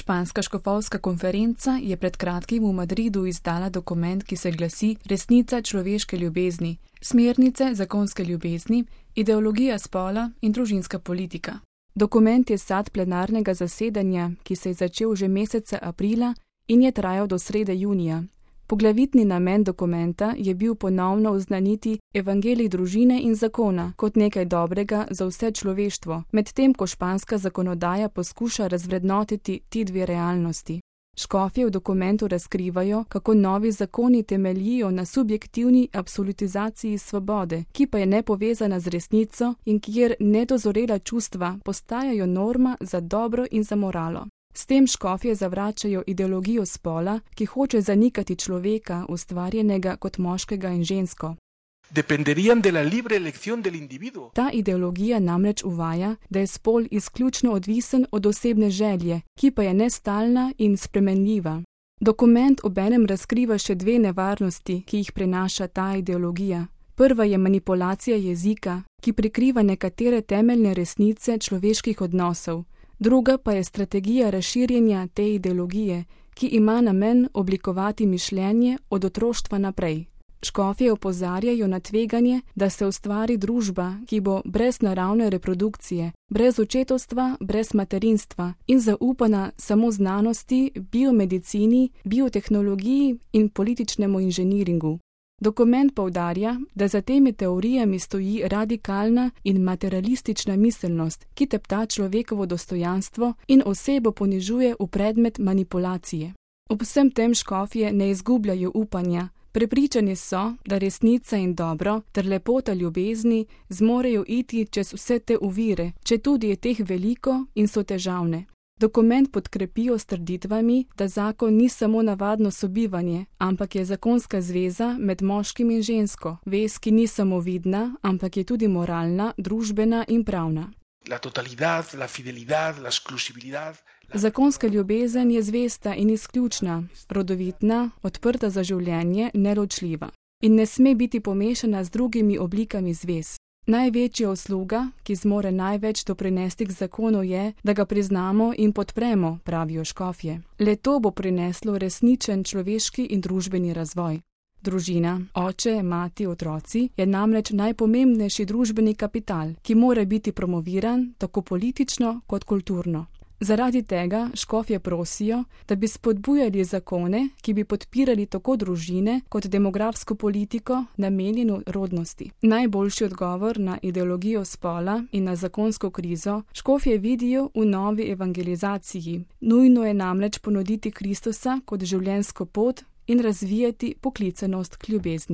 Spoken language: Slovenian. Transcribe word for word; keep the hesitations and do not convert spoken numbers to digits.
Španska škofovska konferenca je pred kratkim v Madridu izdala dokument, ki se glasi Resnica človeške ljubezni, smernice zakonske ljubezni, ideologija spola in družinska politika. Dokument je sad plenarnega zasedanja, ki se je začel že meseca aprila in je trajal do srede junija. Poglavitni namen dokumenta je bil ponovno oznaniti evangelij družine in zakona kot nekaj dobrega za vse človeštvo, medtem ko španska zakonodaja poskuša razvrednotiti ti dve realnosti. Škofje v dokumentu razkrivajo, kako novi zakoni temeljijo na subjektivni absolutizaciji svobode, ki pa je nepovezana z resnico in kjer nedozorela čustva postajajo norma za dobro in za moralo. S tem škofje zavračajo ideologijo spola, ki hoče zanikati človeka, ustvarjenega kot moškega in žensko. Dependerían de la libre elección del individuo. Ta ideologija namreč uvaja, da je spol izključno odvisen od osebne želje, ki pa je nestalna in spremenljiva. Dokument obenem razkriva še dve nevarnosti, ki jih prenaša ta ideologija. Prva je manipulacija jezika, ki prikriva nekatere temeljne resnice človeških odnosov. Druga pa je strategija razširjenja te ideologije, ki ima namen oblikovati mišljenje od otroštva naprej. Škofje opozarjajo na tveganje, da se ustvari družba, ki bo brez naravne reprodukcije, brez očetovstva, brez materinstva in zaupana samo znanosti, biomedicini, biotehnologiji in političnemu inženiringu. Dokument poudarja, da za temi teorijami stoji radikalna in materialistična miselnost, ki tepta človekovo dostojanstvo in osebo ponižuje v predmet manipulacije. Ob vsem tem škofje ne izgubljajo upanja. Prepričani so, da resnica in dobro ter lepota ljubezni zmorejo iti čez vse te ovire, četudi je teh veliko in so težavne. Dokument podkrepijo s trditvami, da zakon ni samo navadno sobivanje, ampak je zakonska zveza med moškim in žensko, vez, ki ni samo vidna, ampak je tudi moralna, družbena in pravna. La totalidad, la fidelidad, la exclusividad. Zakonska ljubezen je zvesta in izključna, rodovitna, odprta za življenje, neločljiva in ne sme biti pomešana z drugimi oblikami zvez. Največja usluga, ki zmore največ doprinesti k zakonu, je, da ga priznamo in podpremo, pravijo škofje. Le to bo prineslo resničen človeški in družbeni razvoj. Družina, oče, mati, otroci je namreč najpomembnejši družbeni kapital, ki mora biti promoviran tako politično kot kulturno. Zaradi tega škofje prosijo, da bi spodbujali zakone, ki bi podpirali tako družine kot demografsko politiko namenjeno rodnosti. Najboljši odgovor na ideologijo spola in na zakonsko krizo škofje vidijo v novi evangelizaciji. Nujno je namreč ponuditi Kristusa kot življenjsko pot in razvijati poklicanost k ljubezni.